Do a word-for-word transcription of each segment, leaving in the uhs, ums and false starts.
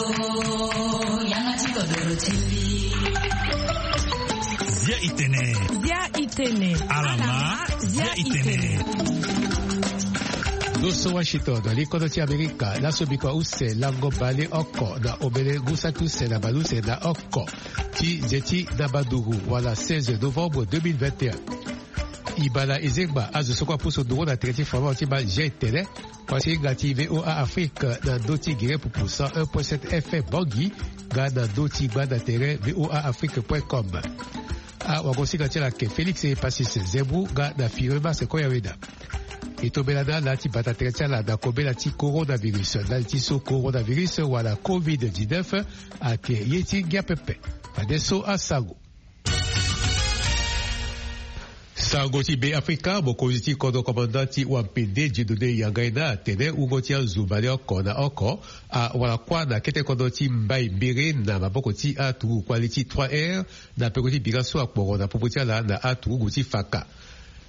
Yanga ti kodoro ti mbi. Zia itene. Zia itene. Alama. Zia itene. Ndo so Washington na li kodro ti Amerika, laso bikua use lango bale oko na omene ngu saki use na bale use na oko ti nze ti na badugu wala seize novembre deux mille vingt et un. Ibala ezengba azo so kue apusu nduru na tere ti fama ti ma G T L. Kua ti hinga ti V O A Afrique na ndö ti gere pupu cent un point sept F M Bangui, nga na ndö ti gba na tere V O A Afrique point com. Awagosinga ti ala ayeke Félix Epasis Zembu nga na Firmin Marcel Koyaweda. E tombela na ala ti bata tere ti ala na kobela ti coronavirus, ndali ti so coronavirus wala covid dix-neuf ayeke ye ti ngia pepe. Fadeso asango. Sango ti Be Afrika, mokonzi ti kodro komanda ti wampende Dieudonné Yanga Ena atene wungo ti azo baleoko na oko awara kuâ na kete kodro ti Mbaye Mbere na maboko ti aturugu kpale ti trois R na peko ti bira so akporo na popo ti ala na aturugu ti Faka.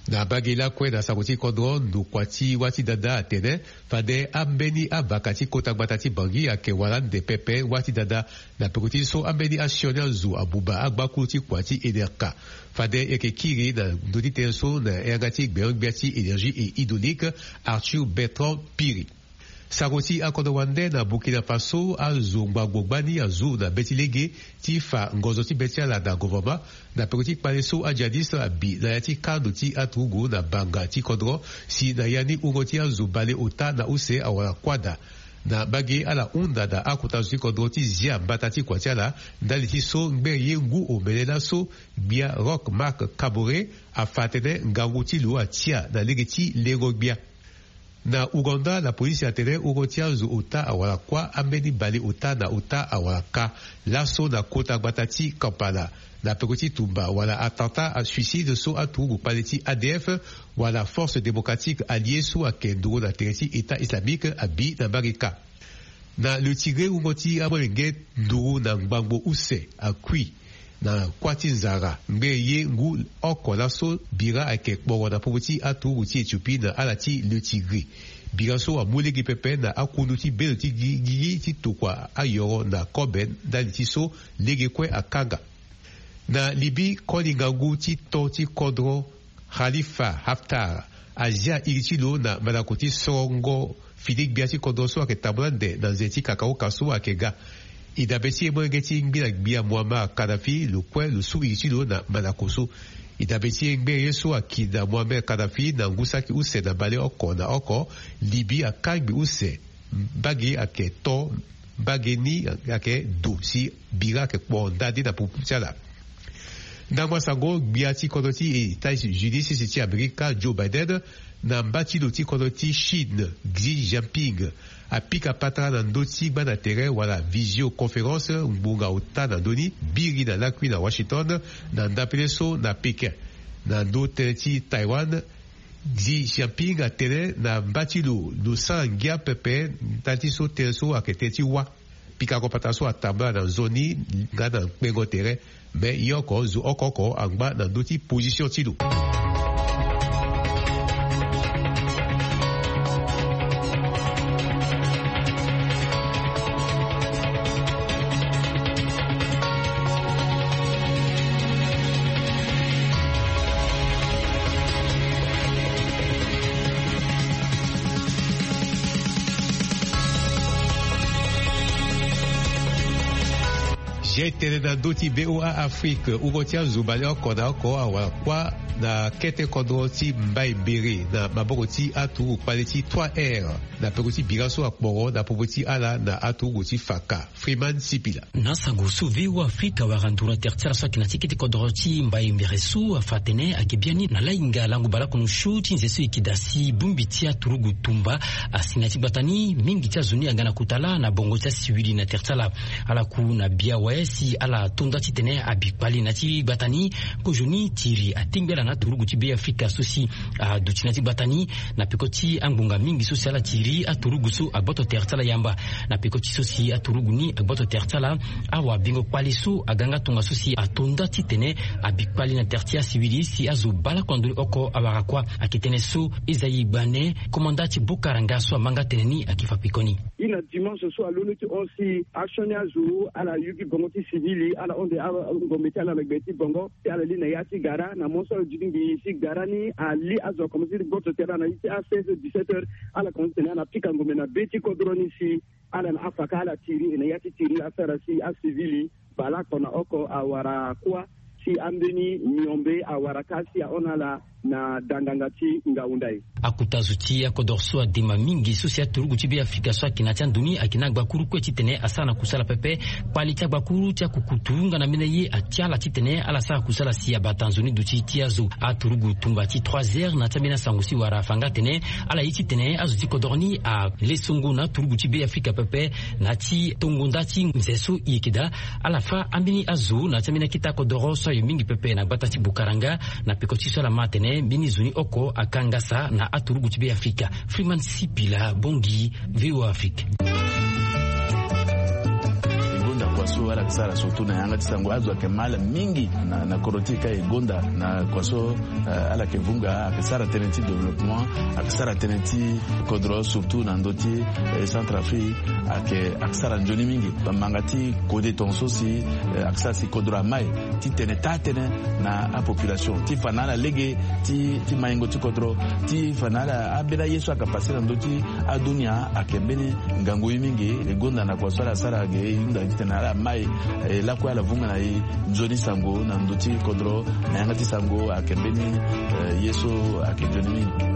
Na mbage lakue na sango ti kodro, ndokua ti wâ ti dada atene fade ambeni avaka ti kota gbata ti Bangui ayeke wara ande pepe wâ ti dada na peko ti so ambeni asioni azo abuba agbakulu ti kua ti Enerca. Fade e yeke kiri na ndö ti tënë so na yanga ti gbenyo-gbia ti énergie et hydraulique, Arthur Bertrand Piri. Sango ti akodro wande, na Burkina Faso azo ngbangbo gbani azu na be ti lege ti fa ngonzo ti be ti ala na govoroma na peko ti kpale so ajihadiste abi na ya ti kando ti aturugu na banga ti kodro, si na ya ni wungo ti azo baleota na use awara kuâ daa. Na mbage ala hunda na akota zo ti kodro ti zia mbata ti kua ti ala ndali ti so ngbene ye ngu omene laso gbia Roch Marc Kaboré afa atene ngangu ti lo atia na lege ti lengo-gbia. Na Ouganda, lapolisi atene wungo ti azo ota awara kuâ ambeni baleota na ota awara ka laso na kota gbata ti Kampala na peko ti tumba wala attentat à suicide so aturugu kpale ti A D F wala Forces Démocratiques Alliées so ayeke nduru na tere ti État Islamique abi na mbage ka. Na Le Tigré, wungo ti amolenge nduru na ngbangbo use akui na kuâ ti nzara ngbene ye ngu oko laso bira ayeke kporo na popo ti aturugu ti Éthiopie na ala ti Le Tigré. Bira so amu lege pepe na akundu ti bendo ti gi- gigi ti tokua ayoro na kobe ndali ti so lege kue akanga. Na Libye, koli ngangu ti to ti kodro Khalifa Haftar azia iri ti lo na mandako ti sorongo fini gbia ti kodro so ayeke tambula ande na nze ti kakaoka so ayeke ga. E dabe ti e molenge ti ngbila gbia Muammar Kadhafi lo kue lo su iri ti lo na mandako so. E dabe ti e ngbene ye so aki na Muammar Kadhafi na ngu saki use na baleoko na oko, Libye akangbi use mbage ayeke to mbage ni ayeke do si bira ayeke kpo nda nde na popo ti ala. Ndangba sango, gbia ti kodro ti États-Unis ti Amerika Joe Biden na mba ti lo ti kodro ti Chine Xi Jinping apika patara na ndö ti gba na tere wala visioconférence ngbonga ota na ndö ni biri na lakui na Washington na ndapele so na Pékin. Na ndö tënë ti Taïwan, Xi Jinping atene na mba ti lo lo sara ngia pepe ndali ti so tënë so ayeke tënë ti wâ. Pikango patara so atambula na nzoni nga na kpengo tere, me ye oko zo oko oko angba na ndö ti position ti lo. Zia e tene na ndö ti V O A Afrique, wungo ti azo baleoko na oko awara kuâ na kete kodro ti Mbaye Mbere na maboko ti aturugu kpale ti trois R na peko ti bira so akporo na popo ti ala na aturugu ti Faka. Freeman Sipila. Na sango so V O A Afrika awara nduru na tere ti ala so ayeke na ti kete kodro ti Mbaye Mbere so afa atene ayeke biani na lahinga lango baleoko na osio ti nze so e yeke daa si bongbi ti aturugu tumba. Asi na ya ti gbata ni, mingi ti azo ni aga na kota laa na bongo ti asiwili na tere ti ala. Ala ku na bia awe Si ala to nda titene abi kpali na ti gbata ni. Kozoni tiri atingbi ala na aturugu ti Beafrika so si aduti na ti gbata ni, na peko ti angbonga mingi so si ala tiri aturugu so agboto tere ti ala yamba. Na peko ti so si aturugu ni agboto tere ti ala, awabingo kpali so aga nga tongaso si ato nda titene abi kpali na tere ti asivili si azo bale oko na ndoni oko awara kuâ. Ayeke tënë so Esaïe Gbane, komanda ti Bukaranga so amanga tënë ni, ayeke fa pekoni. Ye na dimanche so alondo ti hon si asioni azo ala yuki bongo ti sivili, ala hon de angombe ti ala na gbe ti bongo, si ala li na ya ti gara. Na mo so ala duti ngbii si gara ni ali, azo akomanse ti gboto tere na ya ti a seize heures, dix-sept heures, ala komanse tene ala pika ngombe na be ti kodro ni si ala na afaka ala tiri, e na ya ti tiri asara si asivili bale oko na oko awara kuâ, si ambeni miombe awara kâ si ahon ala na danganga ti ngau ndai. Akota zo ti akodro so adema mingi so si aturugu ti Beafrika so ayeke na ya ti ando ni ayeke na agbakuru kue titene asara na kusala pepe. Kpali ti agbakuru ti akukutu nga na ambeni aye atia ala titene ala sara kusala si abata nzoni duti ti azo. Aturugu tumba ti trois heures na ya ti ambeni asango si wara afa nga atene ala ye titene azo ti kodro ni ale songo na aturugu ti Beafrika pepe na ya ti tongo nda ti nze so e yeke daa. Ala fâ ambeni azo na ya ti ambeni akete akodro so ayo mingi pepe na gbata ti Bukaranga. Na peko ti so ala ma atene mbeni zo ni oko akangasa na aturugu ti Beafrika. Freeman Sipila, Bangui, V O A Afrique. E gonda kua so ala yeke sara surtout na yanga ti sango, azo ayeke ma ala mingi na, na kodro ti e ka e gonda na kua so, eh, ala yeke vunga, ayeke sara tënë ti développement, ayeke sara tënë ti kodro surtout na ndö ti, eh, Centrafrique, ayeke, ayeke sara nzoni mingi. Bamanga ti kode tongaso si, eh, ayeke sara si kodro amai titene taa tënë na apopulation ti fa na ala lege ti, ti maingo ti kodro, ti fa na ala ambeni aye so ayeke pase na ndö ti adunia. Ayeke mbeni ngangu ye mingi. E gonda na kua so ala sara ge, e hunda titene ala mai, eh, lakue ala vunga na e nzoni sango na ndö ti kodro. Na yanga ti sango ayeke mbeni, eh, ye so ayeke nzoni mingi.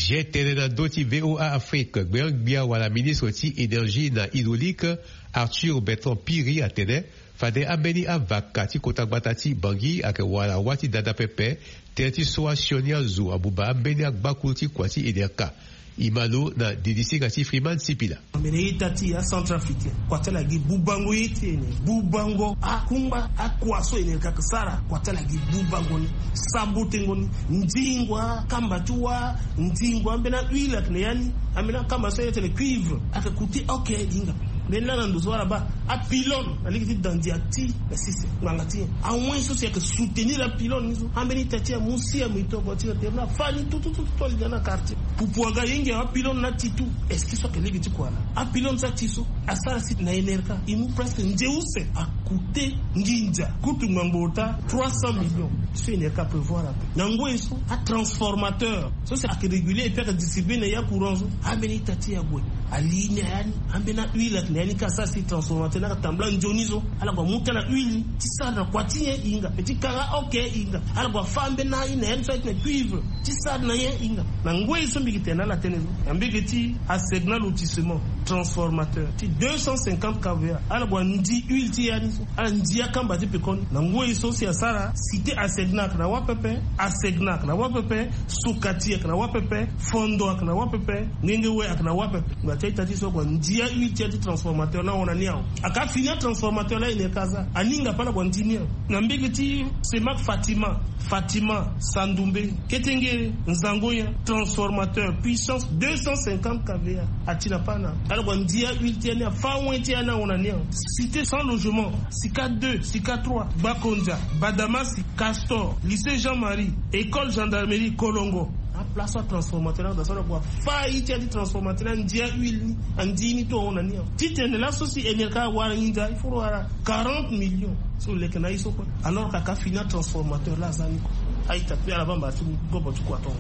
Ge tene na ndö ti V O A Afrique, gbia gbia wala ministre ti énergie na hydraulique, Arthur Bertrand Piri, atene fade ambeni avaka ti kota gbata ti Bangui ayeke wara wâ ti dada pepe. Tënë ti so asioni azo abuba ambeni agbakuru ti kua ti Enerka. E ma lo na didisinga ti Freeman Sipila. Mene ita ti aCentrafricain, kua ti ala gi bubango ye ti e ni. Bubango akungba akua so Enerka ayeke sara, kua ti ala gi bubango ni, sabotengo ni, ndingo akamba ti wâ, ndingo ambeni ahuile ayeke na ya ni, ambeni akamba so ayeke tene cuivre ayeke coûter, ok, e hinga. Mbeni laa na ndo so ala baa apylône na lege ti dandia ti na sese ngbanga ti nyen? Awen so si ayeke soutenir apylône ni so, ambeni ita ti amu si amu ito oko ti na tere na fani tutututu ali na na quartier. Pupu aga hinga apylône na ti tu. Est-ce que so ayeke lege ti kua na apylône so ati so asara si na Enerka e mu presque nze use, acoûter nginza kutu ngbangbo ota trois cents millions. So Enerka aprévoir ape na ngoi so atransformateur so si ayeke réguler et puis ayeke distribuer na ya courant so, ambeni ita ti e ague. Ali ni na ya ni, ambeni ahuile ayeke na ya ni ka asara si transformateur ni ayeke tambula nzoni so. Ala gue amu ti ala huile ni ti sara na kua ti nyen? E hinga. Pe ti kanga, ok, e hinga. Ala gue afâ ambeni aye na ya ni so ayeke tene cuivre ti sara na nyen? E hinga. Na ngoi so mbi yeke tene na ala tënë so, na mbege ti Asegna Lotissement, transformateur ti deux cent cinquante K V A, ala gue andi huile ti ya ni so, ala ndi akamba ti pekoni. Na ngoi so si asara cité Asegna ayeke na wâ pepe, Asegna ayeke na wâ pepe, Sokati ayeke na wâ pepe, Fondo ayeke na wâ pepe, Ngengewe ayeke na wâ pepe. Ngba ti a-ita ti so ague andi ahuile ti ya ti transformateur ni ahon na ni awe. Aka fini atransformateur laa Enerka aza, aninga ape ala gue andi ni awe. Na mbege ti Semak Fatima, Fatima, Sandoumbe, Ketengere, Nzangoya, transformateur puissance deux cent cinquante K V A ati na pâ na. Ala gue andi ahuile ti ya ni, afâ awen ti ya ni ahon na ni awe. Cité sans logement, Sika deux, Sika trois, Bakondia, Badamasi, Castor, lycée Jean-Marie, école gendarmerie, Kolongo. Aplace so atransformateur ni ague daa so ala gue afâ aye ti ya ti transformateur ni, andi ahuile ni, andi ni tout ahon na ni awe. Titene laso si Enerka awara nginza, il faut lo wara quarante millions. So lo leke na ye so kue. Alors que aka fini atransformateur laa aza ni kue. A-ita ti ala baa mba ti gobo ti kua tongo.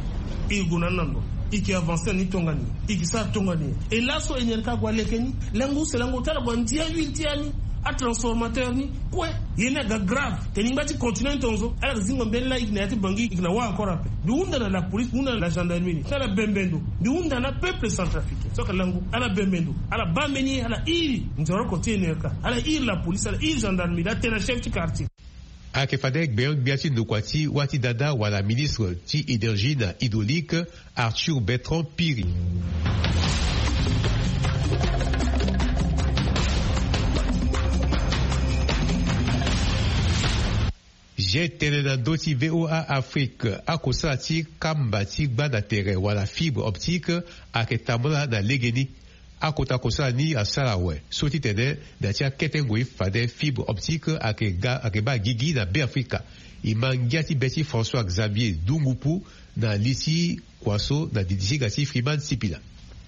E gue na ni na ndo. E yeke avancer na ni tongana nyen? E yeke sara tongana nyen? E laso Enerka ague aleke ni, lango use lango ota ala gue andi ahuile ti ya ni. Atransformateur ni kue, ye ni aga grave. Tene ngba ti continent tonzo ala ga zingo mbeni la igi na ya ti bangi igi na wa encore ape. Mbi hunda na la police, hunda na la gendarmerie, na la bembendo. Mbi hunda na peuple centrafricain so ka langu ala bembendo, ala bambeni ala iri nzoroko ti enerka, ala iri la police, ala iri gendarmerie, ala tena chef ti quartier. Ayeke fade gbenyo-gbia ti ndokua ti wâ ti dada wala ministre ti énergie na hydraulique, Arthur Bertrand Piri. Ye tene na ndö ti VOA Afrique, akosala ti kamba ti gba na tere wala fibre optique ayeke tambula na legeni. Akota kosala ni asara awe so titene na ti akete ngoi fade fibre optique ayeke ga ayeke baa gigi na Beafrika. E ma ngia ti be ti François Xavier Dungupu na li ti kua so na didi ti hinga ti Freeman Sipila.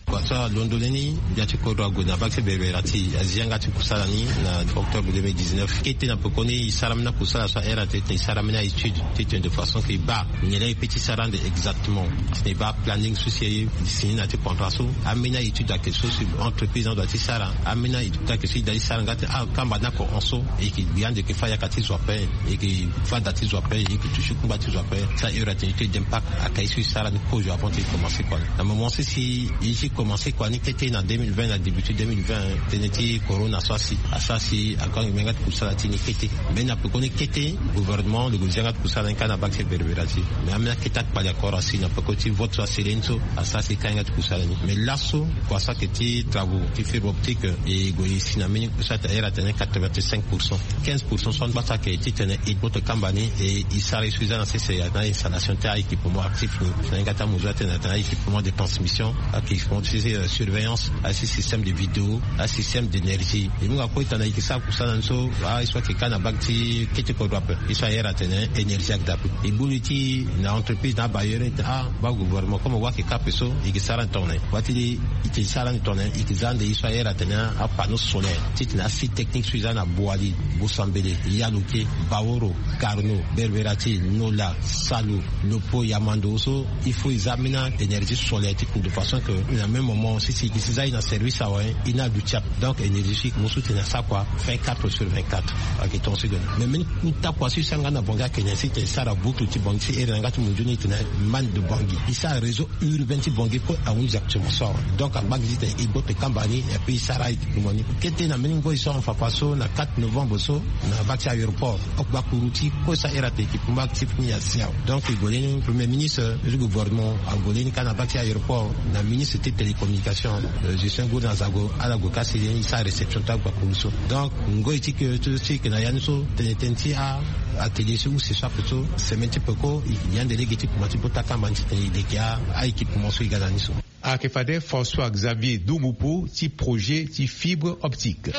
Kua so alondo leni ndia ti kodro ague na bak ti berbera ti azi yanga ti kusala ni na octobre deux mille dix-neuf. Kete na pekoni e sara ambeni akusala so ahere atene e sara ambeni aétude titene de façon ke e baa nyen laa e peut ti sara ande exactement. Titene e baa planning so si e si ni na ti contrat so. Ambeni aétude ayeke so si entreprise ni adoit ti sara. Ambeni aétude ayeke so e doit ti sara nga ti akamba ni ako hon so. E yeke gbi ande e yeke fâ yaka ti zo ape. E yeke fâ da ti zo ape. E yeke touché kungba ti zo ape. Sa heure atene étude d'impact ayeke aye so e sara ni kozo avant ti e commencé kua ni. Na moment so si e ti commencé kua ni kete na deux mille vingt na début ti deux mille vingt, tënë ti corona so asi asara si akangi mbeni yanga ti kusala ti ni kete. Mais na pekoni kete gouvernement lo gue zi yanga ti kusala ni kâ na bak ti berbera ti. Mais ambeni akete akpali akoro asi na peko ti vote so asele ni so asara si e ka yanga ti kusala ni. Mais laso kua so ayeke ti travaux ti fibre optique e gue e si na mbeni kusala ti ahere atene quatre-vingt-cinq pour cent. Quinze pour cent so angba so ayeke titene e gboto kamba ni e e sara ye so e za na sese na installation ti a-équipement actif ni. Na yanga ti amuzu atene atene a-équipement de transmission, a-équipement ti surveillance, asi système de vidéo, asystème d'énergie. E mu nga kue e tene e yeke sara kusala ni so aye so ayeke ka na bak ti kete kodro ape. Ye so ahere atene énergie ayeke daa ape. E gbu li ti na entreprise na abailleur ni tene ah baa gouvernement comme wa ayeke ka ape so e yeke sara ni tongana nyen. Wâ ti li e yeke sara ni tongana nyen, e yeke za ande ye so ahere atene apanneau solaire titene asite technique so e za na Boali, Bosambele, Yalouké, Baoro, Carnot, Berberatil, Nola, Salu, Lopo, Yamando so il faut e za ambeni énergie solaire ti ku de façon que na même moment si si e si za e na service awe e ni aduti ape. Donc énergie so e yeke mu so tene asara kua vingt-quatre sur vingt-quatre. Ayeke tongaso e gue na mais mbeni nta kua so e sara nga na Bangui ayeke nyen si tene e sara boucle ti Bangui si ere na yanga ti munzu ni e tene manne de Bangui. E sara réseau urbain ti Bangui kue ahunzi actuellement so awe. Donc angba gi titene e gboto e kamba ni et puis e sara équipement ni kete na mbeni ngoi so afa afa so na quatre novembre so na bak ti aéroport. Oko gbakuru ti kue so ahere atene équipement actif ni asi awe. Donc e gue leni premier ministre ti gouvernement ague leni kâ na bak ti aéroport na ministre ti télécommunication, Justin Gourdin Azangue ala gue kâ si leni e sara réception ti agbakuru so. Donc ngoi ti ke so si e yeke na ya ni so tene tënë ti a atelier so use so ape so semaine ti peko e yeke gi ande lege ti kuma ti bota kamba ni titene e leke a-équipement so e ga na ni so. Ayeke fade François Xavier Dungupu ti projet ti fibre optique.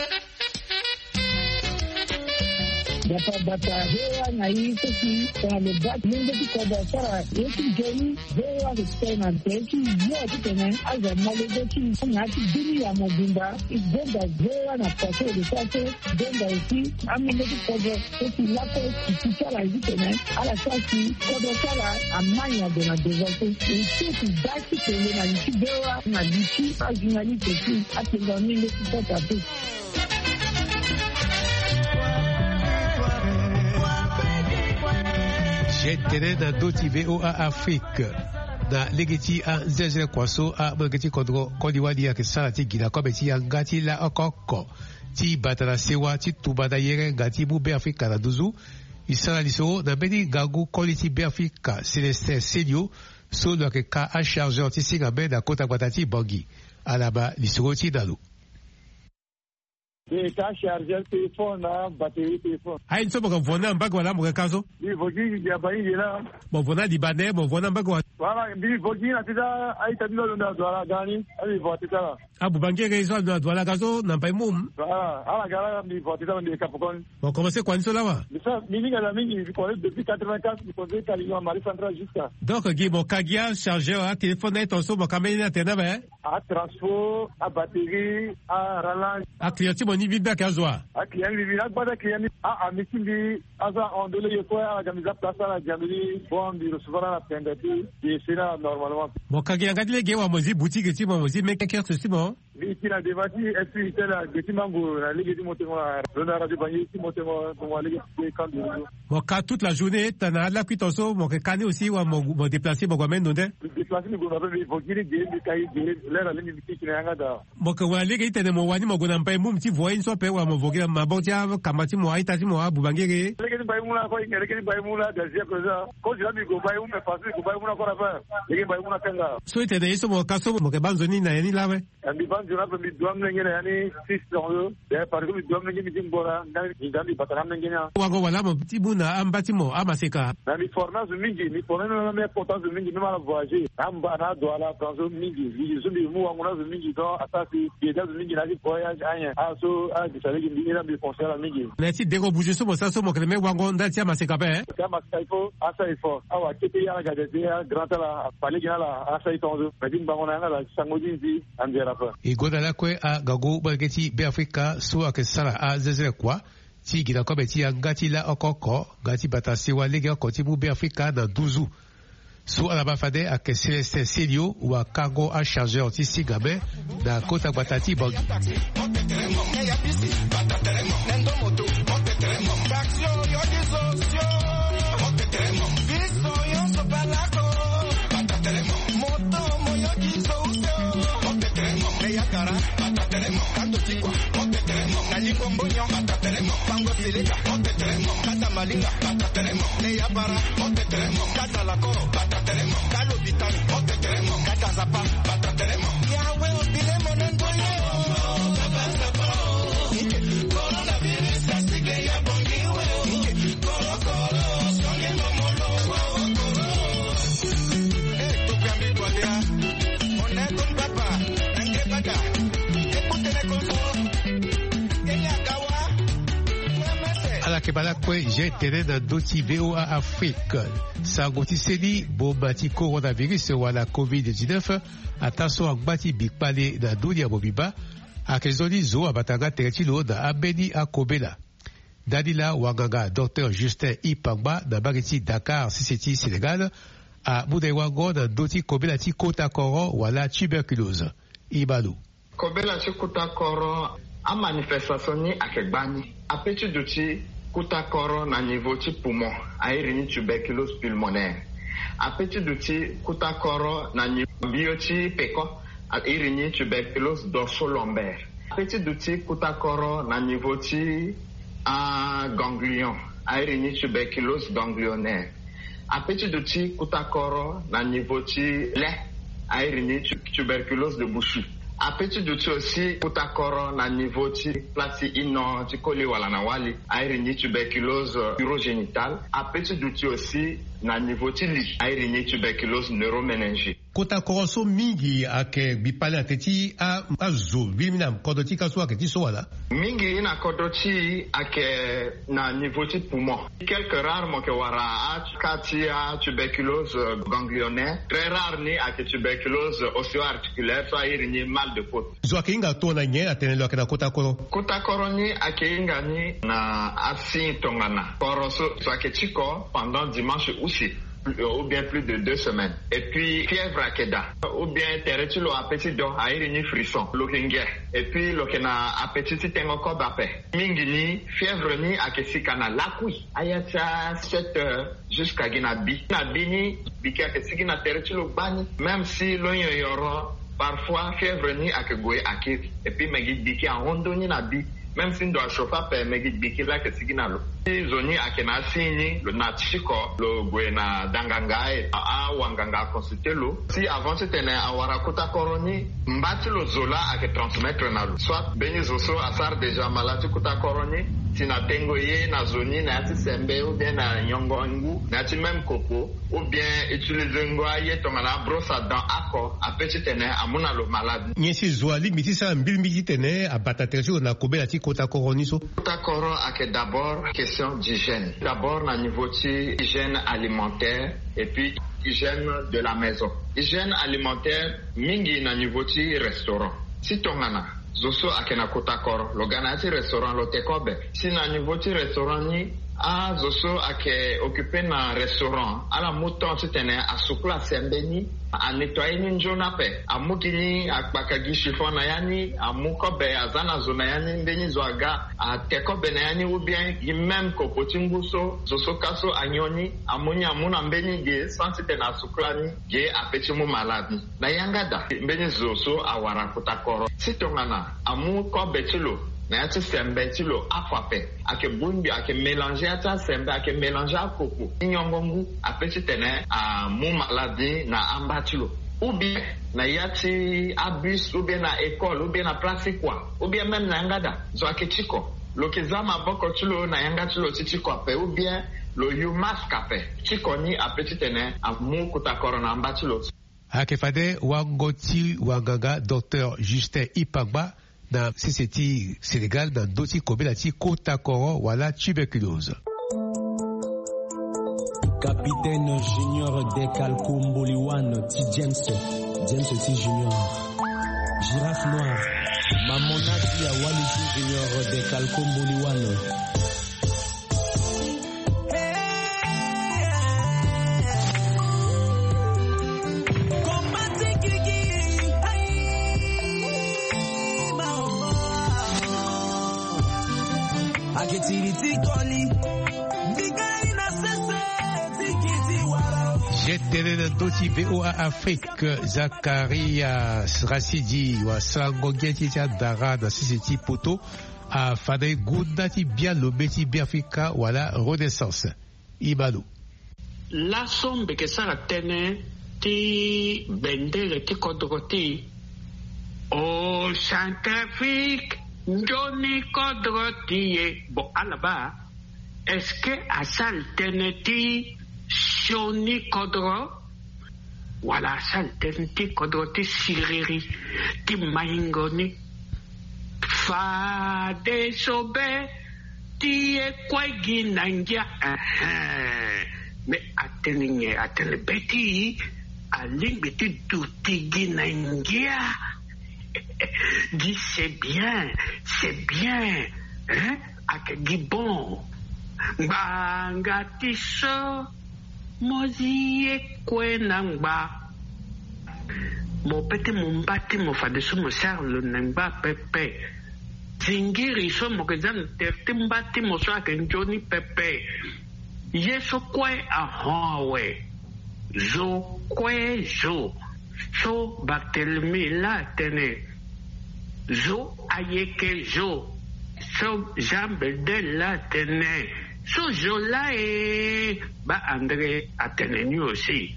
Bata bata, V O A na i so si tongana lo baa lenge ti kodro asara ye ti nzoni, V O A respect na nze ti yo titene azo amolenge ti na ya ti bini ya mobimba. E gonda V O A na kua so e lo sara so gonda aussi amolenge ti kodro so si lakue e ti sara ye titene ala sara si kodro ti ala amai na gue na devant so. E so ti baa ti tene na li ti V O A na li ti ajournaliste aussi atene na ni nde ti kota pe. Ye tene na ndö ti V O A Afrique. Na lege ti anzenze kua so amolenge ti kodro koli wali ayeke sara ti gi na kobe ti yanga ti laoko oko ti bata na sewa ti tumba na yere nga ti mu Beafrika na nduzu. E sara lisoro na mbeni ngangu koli ti Beafrika Célestin Selio so lo yeke ka achargeur ti singa mê na kota gbata ti Bangui. Ala ma lisoro ti na lo. Mbi ka chargeur téléphone na batterie téléphone. Aye ni so mo yeke vo ni na mbage wala mo yeke ka so? Mbi vo gi nginza bahinge laa. Mo vo ni na Libanais, mo vo ni na mbage wala? Voilà, mbi vo gi na ti za a-ita ti lo alondo na Douala aga ni, a mbi vo ati ti ala. Abubangere so alondo na Douala aga so na Mbaye Mum? Voilà, ala ga laa mbi vo ati ti ala mbi yeke ka pekoni. Mo commencé kua ni so lawa? Mbi sara mbi hinga na mingi, mbi commencé depuis quatre-vingt-quatre, mbi commencé ka lingua Marie Centrale jusqu'à. Donc gi mo ka gi achargeur atéléphone na ye tongaso mo ka mbeni ni atene na be? Atransport, abatterie, arallonge. Aclient ti mo ni mbi mbi ayeke azo wa? Aclient ni mbi mbi na agba ti aclient ni. A ami ti mbi aza hon nde lege kue ala ga mbi za place ala ga mbi ni bon mbi recevoir ala pembe ti mbi ese ni ala normalement. Mo ka gi yanga ti lege wa mo zi boutique ti mo mo zi mê kiosque ti mo? Mbi ti na dema ti esprit tel age ti mango na lege ti motengo na lo na radio bangi ti motengo. Mo wa lege ti kandu. Mo ka toute la journée tana alakui tonso mo ke kani aussi wa mo déplacer mo gue ameni ndo nde. Déplacer ni gue na pe mbi vogiri ge mbi kai ge. Lera lenge mbi ti kina yanga da. Mo ke wara lege ti tene mo wani mo gue na mbai mum ti voye ni so ape wala mo vogi na maboko ti akamba ti mo aita ti mo abubangere. Lege ti mbai mum na ko inge lege ti mbai mum na gazi akoza. Kozi la mbi gue mbai mum me pasi mbi gue mbai mum na ko na pe. Lege mbai mum na kanga. So ti tene ye so mo ka so mo ke baa nzoni na ye ni lawe. Mbi baa nzoni ape mbi dua mlenge na ya ni six ans. Parce que mbi dua mlenge mbi ti ngbora nga mbi bata na mlenge ni. Wango wala mo ti mu na amba ti mo amaseka. Na mbi forme azo mingi mbi forme na mbi kota azo mingi mbi ma na voyager na mba na adua la franzo mingi. Mbi zo mbi mu wango na azo mingi donc asa si mbi ede azo mingi na ya ti voyage anyen aso. Agisa lege mbi ira mbi conseil na mingi. Na ya ti dengo buzu so mo sara so mo kele me wango ndali ti amaseka ape. Ti amaseka il faut asa effort awa kete ya na gade ti ya grand ala. Fa lege na ala asa ye tongaso me ti ngbanga na yanga ala ti sango ti nzi. Anzera ape. E gonda lakue angangu molenge ti Beafrika so ayeke sara azezele kua ti gi na kobe ti yanga ti laoko oko nga ti bata sewa lege oko ti mu Beafrika na nduzu. So ala ma fade ayeke Célestin Celio wa kango achargeur ti singa me na kota gbata ti Bangui. Ala yeke baa lakue. Jean tene na ndö ti VOA Afrique. Sango ti seni boma ti coronavirus wala covid dix-neuf ataa so angba ti bikpale na ndö ni ya mobimba. Ayeke nzoni zo abata nga tere ti lo na ambeni akobela. Ndani laa wanganga docteur Justin Ipangba na mbage ti Dakar sese ti Sénégal amu na e wango na ndö ti kobela ti kota koro wala tuberculose. Ibalo. Kobela ti kota koro amanifestation ni ayeke gbani. Ape ti duti kota koro na niveau ti poumon airi ni tuberculose pulmonaire. Ape ti duti kota koro na niveau bio ti peko airi ni tuberculose dorso lombaire. Ape ti duti kota koro na niveau ti aganglion airi ni tuberculose ganglionnaire. Ape ti duti kota koro na niveau ti le airi ni tuberculose de bouchu. Ape ti duti aussi kota koro na niveau ti place ti ino ti koli wala na wali airi ni tuberculose urogénitale. Ape ti duti aussi na niveau ti li airi ni tuberculose neuroméningée. Kota koro so mingi ayeke bipale na te ti azo mbili mingi na kodro ti ka so ayeke ti so wala? Mingi na kodro ti e ayeke na niveau ti poumon. Quelques rares mo yeke wara aka ti atuberculose ganglionnaire. Très rare ni ayeke tuberculose ostéo-articulaire so airi ni mal de côte. Zo ayeke hinga tongana nyen atene lo yeke na kota koro? Kota koro ni ayeke hinga ni na asigne tongana koro so zo ayeke ti ko pendant dimanche use ou bien plus de deux semaines. Et puis fièvre ayeke daa ou bien tere ti lo ape ti do airi ni frisson lo yeke nge. Et puis lo yeke na apeti ti tengo kobe ape. Mingi ni fièvre ni ayeke sika na lakui aya ti a sept heures jusqu'à gi na bi na bi ni. Biki ayeke sigi na tere ti lo gbani même si lo nyonyoro. Parfois fièvre ni ayeke gue akiri et puis me gi biki ahon ndö ni na bi. Même si ndo achauffe ape me gi biki laa ayeke sigi na lo. Si zo ni ayeke na asigne ni lo na ti ko lo gue na danganga. Awanganga aconsulter lo si avant titene awara kota koro ni mba ti lo zo laa ayeke transmettre na lo soit mbeni zo so asara déjà malade ti kota koro ni. Si na tengo ye na zo ni na ya ti sembe ou bien na nyongo ngu na ya ti même kopo ou bien utiliser ngo aye tongana abrosse à dents oko ape titene amu na lo malade. Nyen si zo alingbi ti sara mbilimbili titene abata tere ti lo na kobela ti kota koro ni so? Kota koro ayeke d'abord question d'hygiène d'abord na niveau ti hygiène alimentaire et puis hygiène de la maison. Hygiène alimentaire mingi na niveau ti restaurant. Si tongana zo so ayeke na kota koro lo ga na ya ti restaurant lo te kobe si na niveau ti restaurant ni Azo so ayeke occupe na restaurant, ala mu temps titene asukula sembe ni, anettoyer ni nzoni ape. Amu gi ni, akpaka gi chiffon na ya ni, amu kobe aza na zo na ya ni, mbeni zo aga ate kobe na ya ni, ou bien gi même kopo ti ngu so zo so ka so anyon ni, amu ni amu na mbeni ge sans titene asukula ni, ge ape ti mu malade ni. Na yanga daa, mbeni zo so awara kota koro. Si tongana amu kobe ti lo na ya ti sembe ti lo, afo ape, ayeke bongbi, ayeke mélanger ya ti asembe, ayeke mélanger akoko ti nyongo ngu, ape titene amu malade ni na amba ti lo. Ou bien na ya ti abus, ou bien na école, ou bien na place ti kua, ou bien même na yanga daa, zo ayeke tiko. Lo yeke za maboko ti lo na yanga ti lo ti tiko ape, ou bien lo yu masque ape. Tiko ni ape titene amu kota koro na amba ti lo. Ayeke fade wango ti wanganga docteur Justin Ipangba na sese ti Sénégal na ndö ti kobela ti kota koro wala tuberculose. Capitaine Junior Dekalko Mboliwan ti James, James ti Junior, Girafe Noire, Mamona ti Awali ti Junior Dekalko Mboliwan. Ge tënë na ndö ti V O A Afrique, Zakaria Rasidi, wasarango ge ti ti adara na sese ti poto, afandani gunda ti bian lombe ti Beafrika wala Renaissance. Ibalo. Laso mbi yeke sara tënë ti bendere ti kodro ti e. O Centrafrique, nzoni kodro ti e. Bon, ala baa, est-ce que asara tënë ti sioni kodro? Wala asara tënë ti kodro ti siriri ti maingo ni. Fadeso be ti e kue gi na ngia. Ehe. Me atene nyen? Atene be ti alingbi ti duti gi na ngia. Gi c'est bien, c'est bien. Hein? Ayeke gi bon. Ngbanga ti so mo zi ye kue na ngba. Mo pe ti mo mba ti mo fadeso mo sara lo na ngba pepe. Zingiri so mo yeke za na tere ti mba ti mo so ayeke nzoni pepe. Ye so kue ahon awe. Zo kue zo. So Barthélemy laa atene, zo ayeke zo. So Jean Bedel laa atene, so zo laa e. Baa André atene ni aussi.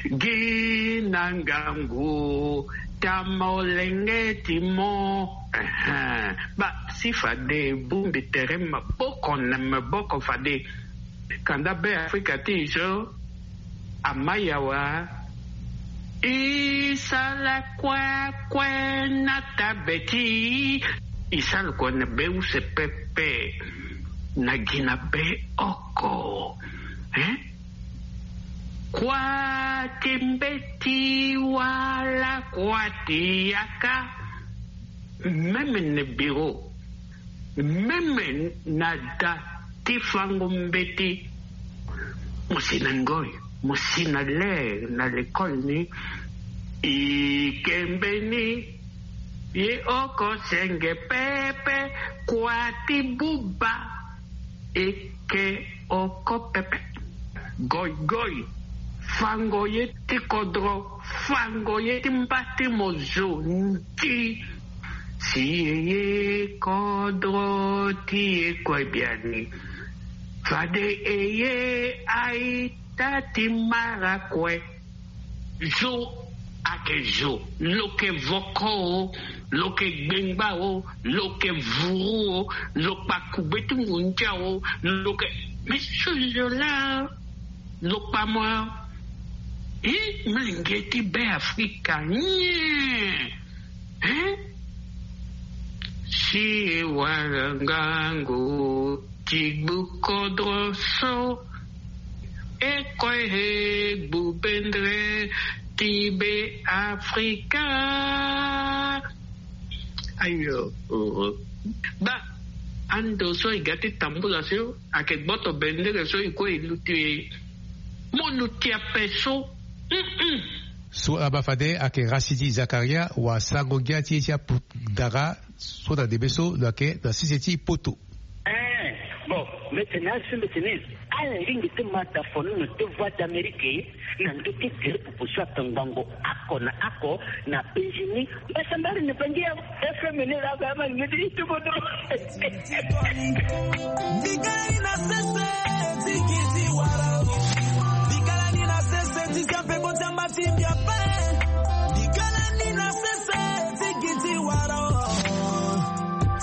Gi na ngangu, ta molenge ti mo. Ehe. Baa si fade bongbi tere maboko na maboko fade. Kanda Beafrika ti e so amai awa. E sara kue kue na tabe ti e. E sara kue na be use pepe. Na gi na be oko. Hein? Kua ti mbeti wala kua ti yaka. Même na bureau, même na da ti fango mbeti. Mo si na ngoi, mo si na ler na lekole ni. E ke mbeni. Ye oko senge pepe, kua ti buba. E ke oko pepe. Goigoi, fango ye ti kodro, fango ye ti mba ti mo zo nti. Si e ye kodro ti e kue biani. Fade e ye aita ti mara kue. Zo ayeke zo, lo yeke voko o, lo yeke gbengba o, lo yeke vuru o, lo kpa kugbe ti ngunza o, lo yeke, me so zo laa lo kpa mo. E, molenge ti Beafrika nyen? Hein? Si e wara ngangu ti gbu kodro so, e kue e gbu bendere ti Beafrika. Ayo, oh, oh. Ba, Ando so e ga ti tambula so ayeke gboto bendere so e kue e luti e. Mo luti ape so. Mm-mm. So ala baa fade ayeke Rasidi Zakaria, wasango-ngia ti e ti apudara so na ndembe so lo yeke na sese ti poto. Eh, bon, mbeti na asu mbeti ni. Ala lingbi ti ma da fono na deux voix d'Amérique na ndö ti tere pupu so ato ngbongo oko na oko na Benjini. Mbasambari na Bangi ya F M ni la ba ma ngeti ti bodo. Mbikani na sese ti giti wara. Mbikani na sese ti siape ko ti amba ti mbia pe. Mbikani na sese ti giti wara.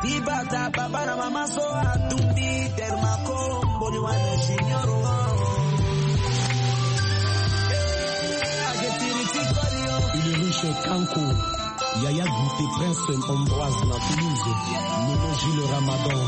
Ti bata papa na mama so atumbi Dermaco Mboliwane Junior. Ulrich Kanko, Yaya Guité, Prince Ambroise na Toulouse, Nono Gilles Ramadan.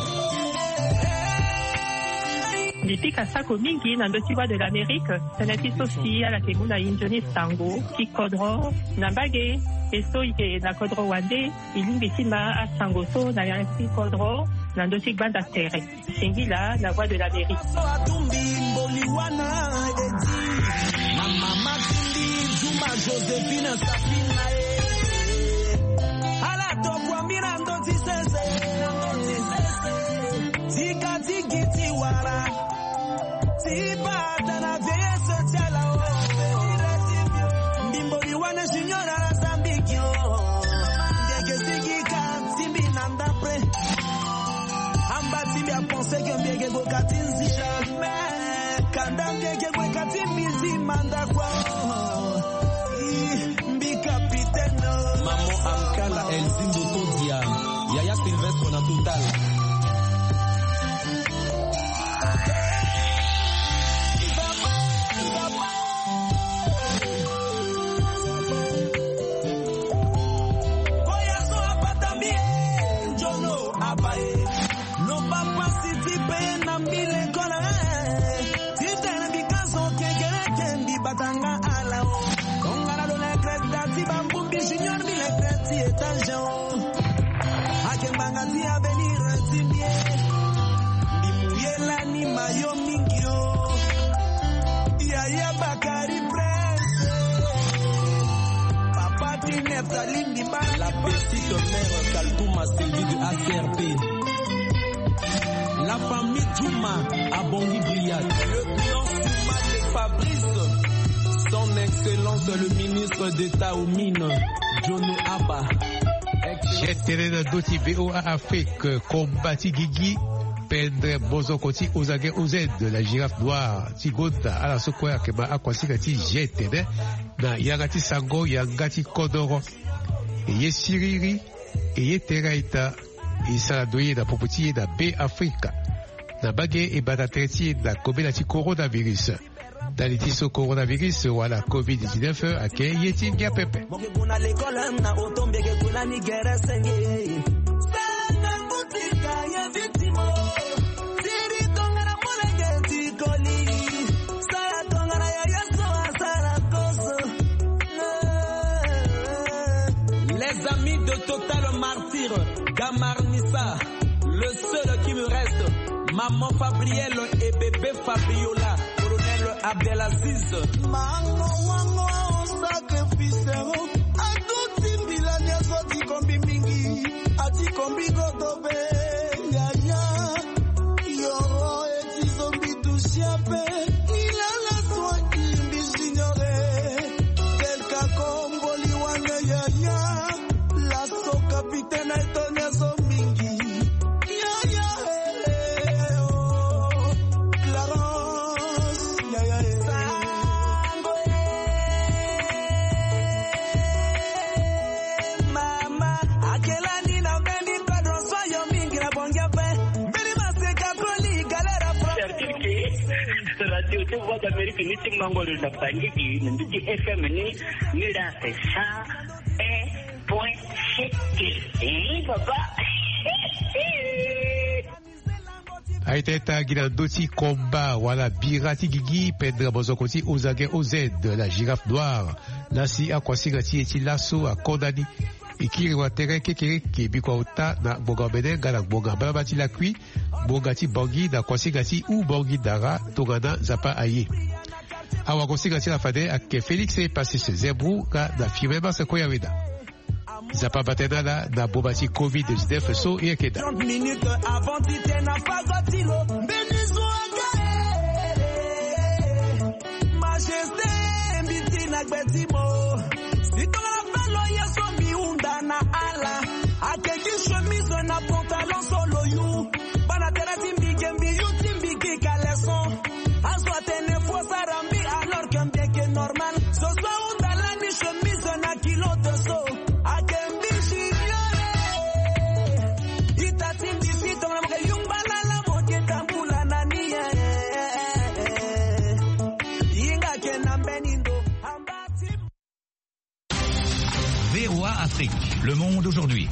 Mbi pika sako mingi na ndö ti Voix de l'Amérique, tënë ti so si ala yeke mu na e nzoni sango ti kodro na mbage, e so e yeke na kodro wande. E lingbi ti ma asango so na yanga ti kodro na ndö ti gbanda tere. Singila na Voix de l'Amérique. So atumbi Mboliwane Edi. Na mama ti mbi Zuma Joséphine Safina e. Ala tokua mbi na ndö ti sese. Ti ka ti gi ti wara. Ti bata na vieillesse ti ala o. Mbi Mboliwane Junior ala zambiki o. Ndeke sigi ka ti mbi na ndapre. Amba ti mbi apense ke mbi yeke gue ka ti nzi. Jamais. Kanda mbi yeke gue ka ti mbi zi manda kua. Ih, mbi capitaine. Maman Ankala, Elzindo Kodia, Yaya Sylvestre na Total. Koya so apata mbi e, nzono abaye. Loba pasi ti pe na mbi lekola e. Ti tene mbi ka so kekereke mbi bata nga ala o. Tongana lo lekre da ti bambumbi Junior mbi lekre ti étage o. Ake mbanga ti avenir ti mbi e. Mbi mu ye lani mayo mingi o. Yaya Bakari Prince. Papa ti Neftali mbi baa. La petite mère Kaltouma Sylvie de A C R P. La famille Djouma, Abongi Goliath. Le clan Souma de Fabrice. Son Excellence le ministre d'État aux Mines, Jono Abba. Gene tene na ndö ti V O A Afrique, combat ti gigi, pendre mozoko ti Ozange O Z, la girafe noire ti gonda, ala so kue ayeke ma akuasinga ti gene tene na yanga ti sango, yanga ti kodoro. E ye siriri, e ye tere aita, e sara ndoye na popo ti e na Be Afrika. Na mbage e bata tere ti e na kobela ti coronavirus. Ndali ti so coronavirus wala covid dix-neuf ayeke ye ti ngia pepe. Mo ke gue na lekole na oto mbi yeke gue lani gere senge. Sara ngangu ti ka ye vitimo. Siri tongana molenge ti koli. Sara tongana yaya so asara kozo. Les amis de Total Martyr, Gamarnissa, le seul qui me reste, maman Fabrielle et bébé Fabiola, colonel Abdelaziz. Mango wango sacrifice, atuti mbila nyonso ti kombi mingi, ati kombi kotobe, yaya, yoro eti zombi tusia pe, ilala soin imbi juniore, delka komboli wane yaya, laso kapitene eto nyonso mingi. Ya, ya, eh, eh, oh. Clarence, ya, ya, eh. Sango, eh, mama, akela ni na mbeni kodro so yo mingi na bongi ape. Mbeni maseka koli galera fra. C'est-à-dire que radio de Voix d'Amérique ni ti mango le na Bangui, ni ti F M ni, ni la c'est ça. Un point C T. Eh, papa. Aita ita gi na ndö ti komba wala bira ti gigi pendere mozoko ti Ozange O Z, la girafe noire. Lasi akuasinga ti e ti laso akonda ni. E kiri wa tere kekereke bikua ota na ngbonga omene nga na ngbonga mbalaba ti lakui, ngbonga ti Bangui na kuasinga ti Houphouët-Boigny-Dara tongana Nzapa aye. Awagosinga ti ala fade ayeke Félix Epassis Zembro nga na Firmin Mars Koyawena. Nzapa bata na ala na boma ti covid dix-neuf so e yeke daa. Trente minutes avant ti tene na fago ti lo mbeni zo aga. Majesté, mbi ti na gbe ti mo. Si tongana fâ lo ye so mbi hunda na ala. Ayeke gi chemise na pantalon so lo yu. Bana tene ti mbi ge mbi yu ti mbi gi caleçon. Azo atene fo sara mbi alors que mbi yeke normal. Zo so ahunda lani chemise na culotte so. Ayeke mbi junior. Ita ti mbi si tongana mo yeke yungba lala mo yeke tambula na ni. Hinga ayeke na mbeni ndo. Amba ti V O A Afrique, le monde aujourd'hui.